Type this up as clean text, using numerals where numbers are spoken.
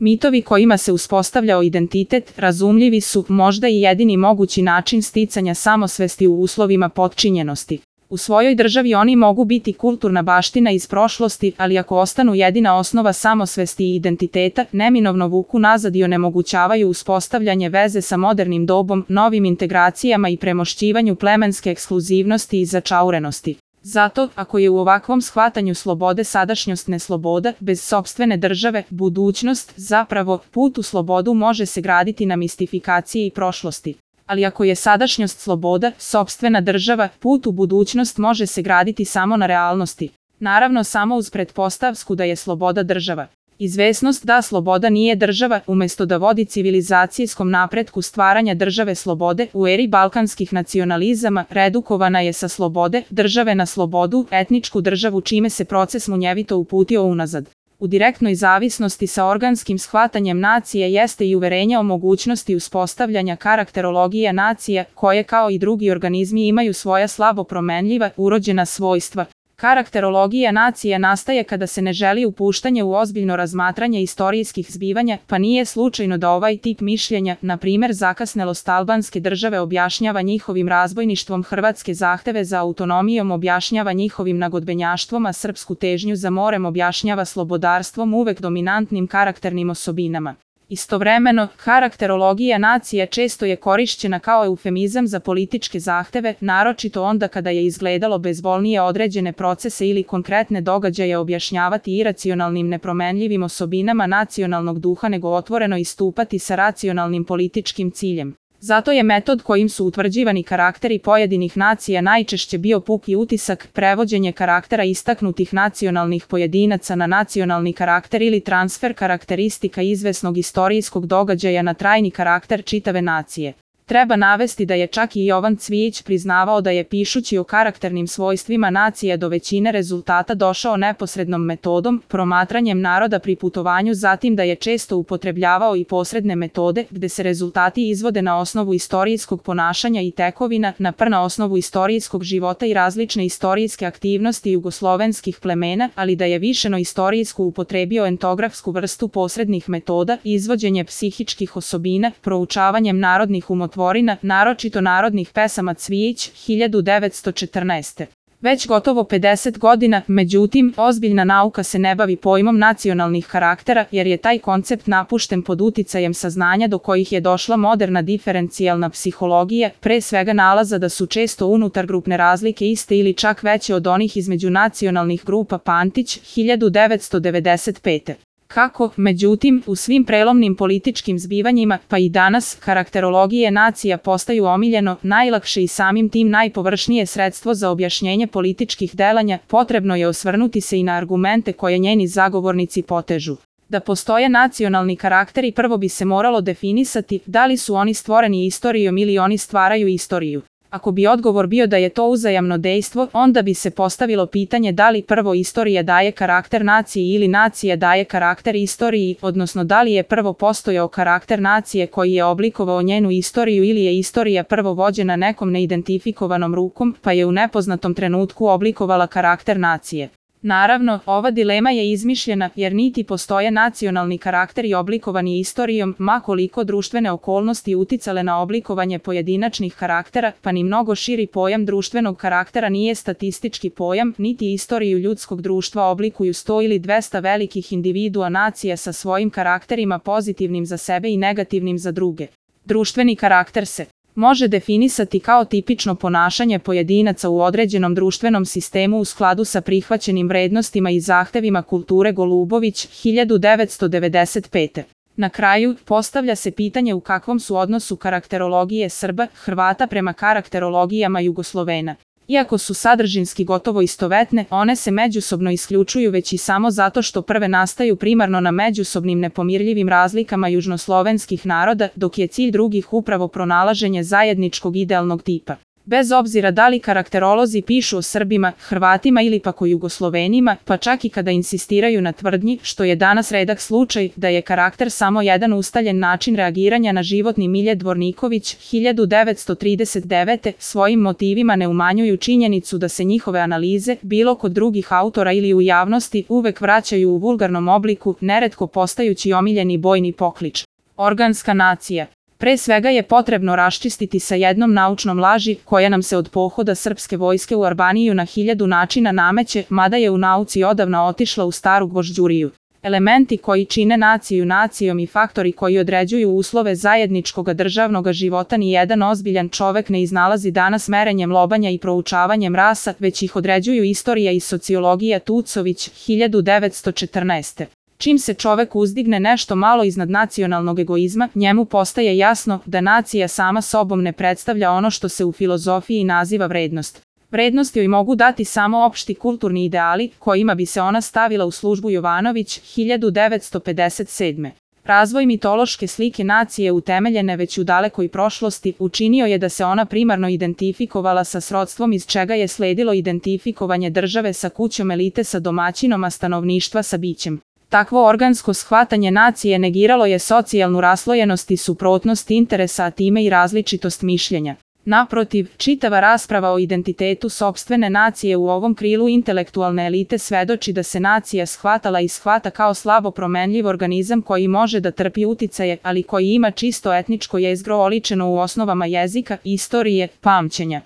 Mitovi kojima se uspostavljao identitet razumljivi su možda i jedini mogući način sticanja samosvesti u uslovima potčinjenosti. U svojoj državi oni mogu biti kulturna baština iz prošlosti, ali ako ostanu jedina osnova samosvesti i identiteta, neminovno vuku nazad i onemogućavaju uspostavljanje veze sa modernim dobom, novim integracijama i premošćivanju plemenske ekskluzivnosti i začaurenosti. Zato, ako je u ovakvom shvatanju slobode sadašnjost nesloboda, bez sopstvene države, budućnost, zapravo, put u slobodu može se graditi na mistifikaciji i prošlosti. Ali ako je sadašnjost sloboda, sopstvena država, put u budućnost može se graditi samo na realnosti. Naravno samo uz pretpostavku da je sloboda država. Izvesnost da sloboda nije država, umjesto da vodi civilizacijskom napretku stvaranja države slobode, u eri balkanskih nacionalizama, redukovana je sa slobode, države na slobodu, etničku državu čime se proces munjevito uputio unazad. U direktnoj zavisnosti sa organskim shvatanjem nacije jeste i uverenje o mogućnosti uspostavljanja karakterologija nacija, koje kao i drugi organizmi imaju svoja slabo promenljiva, urođena svojstva. Karakterologija nacija nastaje kada se ne želi upuštanje u ozbiljno razmatranje istorijskih zbivanja, pa nije slučajno da ovaj tip mišljenja, na primjer zakasnelost albanske države objašnjava njihovim razbojništvom, hrvatske zahteve za autonomijom objašnjava njihovim nagodbenjaštvom, a srpsku težnju za morem objašnjava slobodarstvom, uvek dominantnim karakternim osobinama. Istovremeno, karakterologija nacija često je korišćena kao eufemizam za političke zahteve, naročito onda kada je izgledalo bezbolnije određene procese ili konkretne događaje objašnjavati iracionalnim nepromenljivim osobinama nacionalnog duha nego otvoreno istupati sa racionalnim političkim ciljem. Zato je metod kojim su utvrđivani karakteri pojedinih nacija najčešće bio puki utisak, prevođenje karaktera istaknutih nacionalnih pojedinaca na nacionalni karakter ili transfer karakteristika izvesnog istorijskog događaja na trajni karakter čitave nacije. Treba navesti da je čak i Jovan Cvijić priznavao da je pišući o karakternim svojstvima nacije do većine rezultata došao neposrednom metodom, promatranjem naroda pri putovanju, zatim da je često upotrebljavao i posredne metode, gde se rezultati izvode na osnovu istorijskog ponašanja i tekovina, na osnovu istorijskog života i različne istorijske aktivnosti jugoslovenskih plemena, ali da je višeno istorijsku upotrebio entografsku vrstu posrednih metoda, izvođenje psihičkih osobina, proučavanjem narodnih umotvorina, naročito narodnih pesama Cvijić, 1914. Već gotovo 50 godina, međutim, ozbiljna nauka se ne bavi pojmom nacionalnih karaktera, jer je taj koncept napušten pod uticajem saznanja do kojih je došla moderna diferencijalna psihologija, pre svega nalaza da su često unutargrupne razlike iste ili čak veće od onih između nacionalnih grupa. Pantić, 1995. Kako, međutim, u svim prelomnim političkim zbivanjima, pa i danas, karakterologije nacija postaju omiljeno, najlakše i samim tim najpovršnije sredstvo za objašnjenje političkih delanja, potrebno je osvrnuti se i na argumente koje njeni zagovornici potežu. Da postoje nacionalni karakteri, prvo bi se moralo definisati da li su oni stvoreni istorijom ili oni stvaraju istoriju. Ako bi odgovor bio da je to uzajamno dejstvo, onda bi se postavilo pitanje da li prvo istorija daje karakter naciji ili nacija daje karakter istoriji, odnosno da li je prvo postojao karakter nacije koji je oblikovao njenu istoriju ili je istorija prvo vođena nekom neidentifikovanom rukom, pa je u nepoznatom trenutku oblikovala karakter nacije. Naravno, ova dilema je izmišljena jer niti postoje nacionalni karakteri oblikovani istorijom, ma koliko društvene okolnosti uticale na oblikovanje pojedinačnih karaktera, pa ni mnogo širi pojam društvenog karaktera nije statistički pojam, niti istoriju ljudskog društva oblikuju 100 ili 200 velikih individua nacija sa svojim karakterima pozitivnim za sebe i negativnim za druge. Društveni karakter se može definisati kao tipično ponašanje pojedinaca u određenom društvenom sistemu u skladu sa prihvaćenim vrednostima i zahtevima kulture. Golubović, 1995. Na kraju, postavlja se pitanje u kakvom su odnosu karakterologije Srba, Hrvata prema karakterologijama Jugoslovena. Iako su sadržinski gotovo istovetne, one se međusobno isključuju već i samo zato što prve nastaju primarno na međusobnim nepomirljivim razlikama južnoslovenskih naroda, dok je cilj drugih upravo pronalaženje zajedničkog idealnog tipa. Bez obzira da li karakterolozi pišu o Srbima, Hrvatima ili pak o Jugoslovenima, pa čak i kada insistiraju na tvrdnji, što je danas redak slučaj, da je karakter samo jedan ustaljen način reagiranja na životni milje, Dvorniković, 1939. svojim motivima ne umanjuju činjenicu da se njihove analize, bilo kod drugih autora ili u javnosti, uvek vraćaju u vulgarnom obliku, neretko postajući omiljeni bojni poklič. Organska nacija. Pre svega je potrebno raščistiti sa jednom naučnom laži koja nam se od pohoda srpske vojske u Albaniju na 1000 načina nameće, mada je u nauci odavna otišla u staru gvožđuriju. Elementi koji čine naciju nacijom i faktori koji određuju uslove zajedničkog državnog života ni jedan ozbiljan čovek ne iznalazi danas merenjem lobanja i proučavanjem rasa, već ih određuju istorija i sociologija. Tucović, 1914. Čim se čovek uzdigne nešto malo iznad nacionalnog egoizma, njemu postaje jasno da nacija sama sobom ne predstavlja ono što se u filozofiji naziva vrednost. Vrednost joj mogu dati samo opšti kulturni ideali, kojima bi se ona stavila u službu. Jovanović, 1957. Razvoj mitološke slike nacije utemeljene već u dalekoj prošlosti učinio je da se ona primarno identifikovala sa srodstvom, iz čega je sledilo identifikovanje države sa kućom, elite sa domaćinom, a stanovništva sa bićem. Takvo organsko shvatanje nacije negiralo je socijalnu raslojenost i suprotnost interesa, a time i različitost mišljenja. Naprotiv, čitava rasprava o identitetu sopstvene nacije u ovom krilu intelektualne elite svedoči da se nacija shvatala i shvata kao slabo promenljiv organizam koji može da trpi uticaje, ali koji ima čisto etničko jezgro oličeno u osnovama jezika, istorije, pamćenja.